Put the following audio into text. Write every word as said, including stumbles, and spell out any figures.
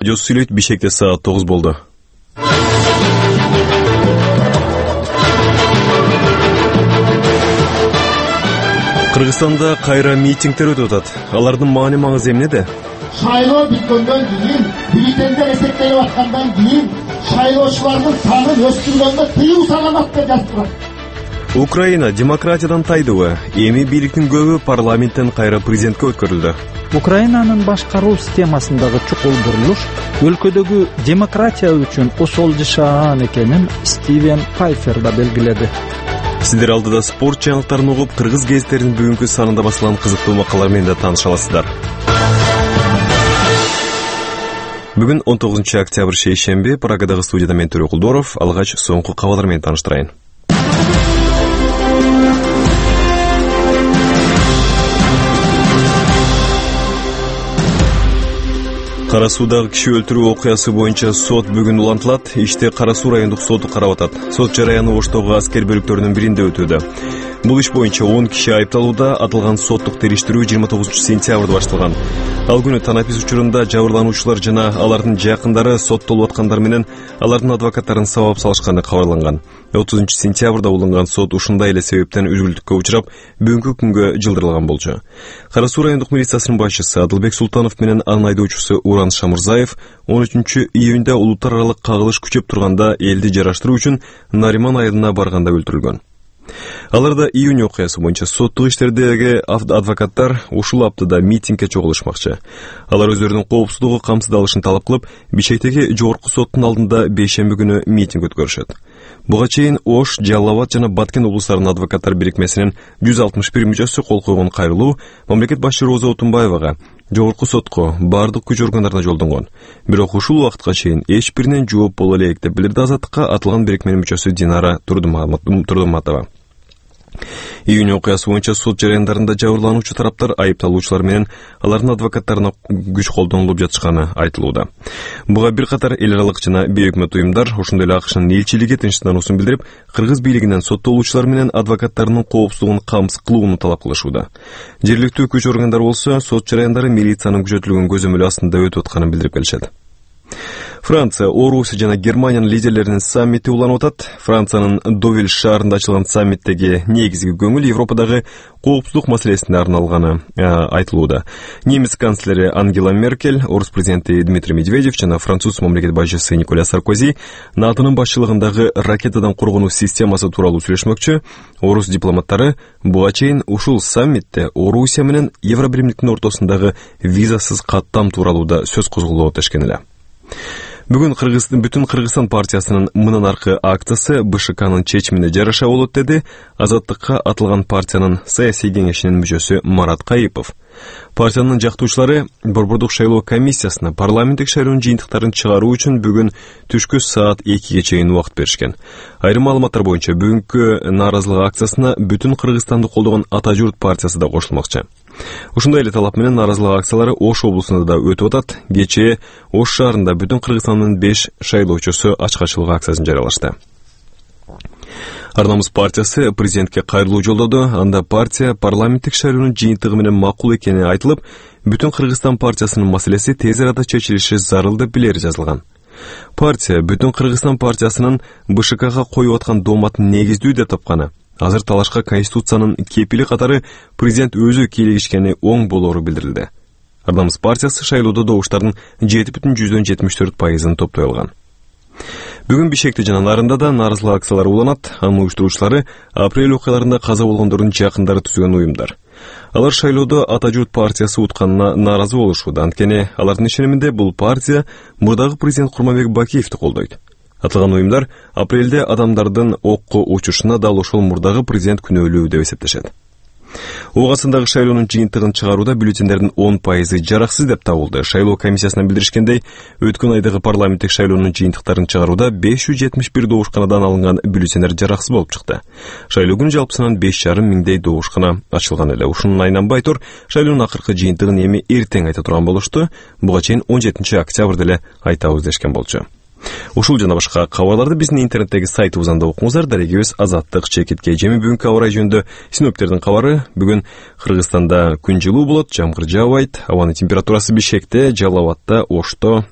Жос сүйлөйт Бишкекте саат тогуз болду. Кыргызстанда кайра митингдер өтүп атат. Алардын маани маңызы эмнеде? Шайлоо бүткөндөн кийин, бюллетендер эсептелип аткандан кийин шайлоочулардын санын өстүргөнгө тыюу салынат деп жазылат. Украина демократиядан тайдыбы? Эми бийликтин көбү парламенттен кайра президентке өткөрүлдү. Украинанын башкаруу системасындагы чукул бурулуш өлкөдөгү демократия үчүн осол жашаан экенин Стивен Пайфер да белгиледи. Сиздер алдыда спорт жаңылыктарын угуп, кыргыз гезиттеринин бүгүнкү санында басылган кызыктуу макалалар менен да тааныша аласыздар. Бүгүн он тогузунчу октябрь шейшемби, Прагадагы студияда мен Төрө Кулдоров. Алгач соңку кабарлар менен тааныштырайын. Кара Суудагы киши өлтүрүү окуясы боюнча сот бүгүн улантылат. Иште Кара Суу райондук соду карап атат. Сот жараяны Оштогу аскер бөлүктөрүнүн биринде өтүүдө. Бул иш боюнча он киши айыпталууда. Атылган соттук териштирүү жыйырма тогузунчу сентябрда башталган. Ал күнү танапис учурунда жабырлануучулар жана алардын жакындары соттолуп аткандар менен алардын адвокаттарын сабап салышканы кабарланган. отузунчу сентябрда уланган сот ушундай эле себептен үзгүлтүккө учурап, бүгүнкү күнгө жылдырылган болчу. Кара Суу райондук милициясынын башчысы Адылбек Султанов менен анын айдоочусу Уран Шамырзаев он үчүнчү июнда улуттар аралык кагылыш күчөп турганда элди жараштыруу үчүн Нариман айылына барганда өлтүрүлгөн. Аларда июнь окуясы боюнча соттук иштердеги адвокаттар ушул аптада митингге чогулушмакчы. Алар өздөрүнүн коопсуздугу камсыздалышын талап кылып, Бишкектеги жогорку соттун алдында бейшемби күнү митинг өткөрүшөт. Буга чейин Ош, Жалал Абад жана Баткен облустарынын адвокаттар бирикмесинин жүз алтымыш бир мүчөсү кол койгон кайрылуу мамлекет башчы Роза Отунбаевага жогорку сотко бардык күч органдарына жолдонгон. Бирок ушул убакытка чейин эч биринен жооп боло элек деп билдирди Азаттыкка атылган бирикменин мүчөсү Динара Турдуматова. Июнь окуясы боюнча сот жараяндарында жабырлануучу тараптар айыпталуучулар менен алардын адвокаттарына күч колдонулуп жатышканы айтылууда. Буга бир катар эл аралык жана бейөкмөт уюмдар, ошондой эле АКШнын элчилиги тынчсыздануусун билдирип, кыргыз бийлигинен соттолуучулар менен адвокаттарынын коопсуздугун камсыз кылууну талап кылышууда. Жергиликтүү күч органдары болсо сот жараяндары милициянын күчөтүлгөн көзөмөлү астында өтүп атканын билдирип келишет. Франция, Орусия жана Германиянын лидерлеринин саммити уланып атат. Франциянын Довиль шаарында ачылган саммиттеги негизги көңүл Европадагы коопсуздук маселесине арналганы айтылууда. Немис канцлери Ангела Меркель, Орус президенти Дмитрий Медведев жана француз мамлекет башчысы Николя Саркози НАТОнун башчылыгындагы ракетадан коргонуу системасы тууралуу сүйлөшмөкчү. Орус дипломаттары буга чейин ушул саммитте Орусия менен Евробиримдиктин ортосундагы визасыз каттам тууралуу да сөз козголуп өтүшкөн эле. Бүгүн Кыргызстан бүтүн Кыргызстан партиясынын мындан аркы акциясы БШКнын чечимине жараша болот деди Азаттыкка атылган партиянын саясий кеңешинин мүчөсү Марат Кайыпов. Партиянын жактоочулары Борбордук шайлоо комиссиясына парламенттик шайлоонун жыйынтыктарын чыгаруу үчүн бүгүн түшкү саат экиге чейин убакыт беришкен. Айрым маалыматтар боюнча бүгүнкү нааразылык акциясына бүтүн Кыргызстанды колдогон Ата журт партиясы да кошулмакчы. Ушундай эле талап менен нааразылык акциялары Ош облусунда да өтүп атат. Кечээ Ош шаарында бүтүн Кыргызстандын беш шайлоочусу ачкачылык акциясын жарыялашты. Ар-Намыс партиясы президентке кайрылуу жолдоду. Анда партия парламенттик шайлоонун жыйынтыгы менен макул экени айтылып, бүтүн Кыргызстан партиясынын маселеси тез арада чечилиши зарыл деп билери жазылган. Партия бүтүн Кыргызстан партиясынын БШКга коюп аткан дооматын негиздүү деп тапканы. Азыр талашка Конституциянын кепили катары президент өзү кийлигишкени оң болоору билдирилди. Ар-Намыс партиясы шайлоодо добуштардын жети бүтүн жүздөн жетимиш төрт пайызын топтой алган. Бүгүн Бишкекте жана Нарында да нааразылык акциялары уланат. Анын уюштуруучулары апрель окуяларында каза болгондордун жакындары түзгөн уюмдар. Алар шайлоодо Ата журт партиясы утканына нааразы болушууда. Анткени алардын ишениминде бул партия мурдагы президент Курманбек Бакиевди колдойт. Атылган уюмдар апрелде адамдардын окко учушуна дал ошол мурдагы президент күнөөлүү деп эсептешет. Оогасындагы шайлоонун жыйынтыгын чыгарууда бюллетендердин он пайызы жараксыз деп табылды. Шайлоо комиссиясынан билдиришкендей, өткөн айдагы парламенттик шайлоонун жыйынтыктарын чыгарууда беш жүз жетимиш бир добушканадан алынган бюллетендер жараксыз болуп чыкты. Шайлоо күнү жалпысынан беш жарым миңдей добушкана ачылган эле. Ушунун айнанбай тур, шайлоонун акыркы жыйынтыгын эми эртең айта турган болушту. Буга чейин он жетинчи октябрда эле айтабыз дешкен болчу. Ушул жана башка кабарларды биздин интернеттеги сайтыбыздан да окуңуздар. Дарегибиз Азаттык чекитке. Жеми бүгүнкү аба ырайы жөнүндө синоптиктердин кабары. Бүгүн Кыргызстанда күн жылуу болот, жамгыр жаабайт. Абанын температурасы Бишкекте, Жалал Абадта, Ошто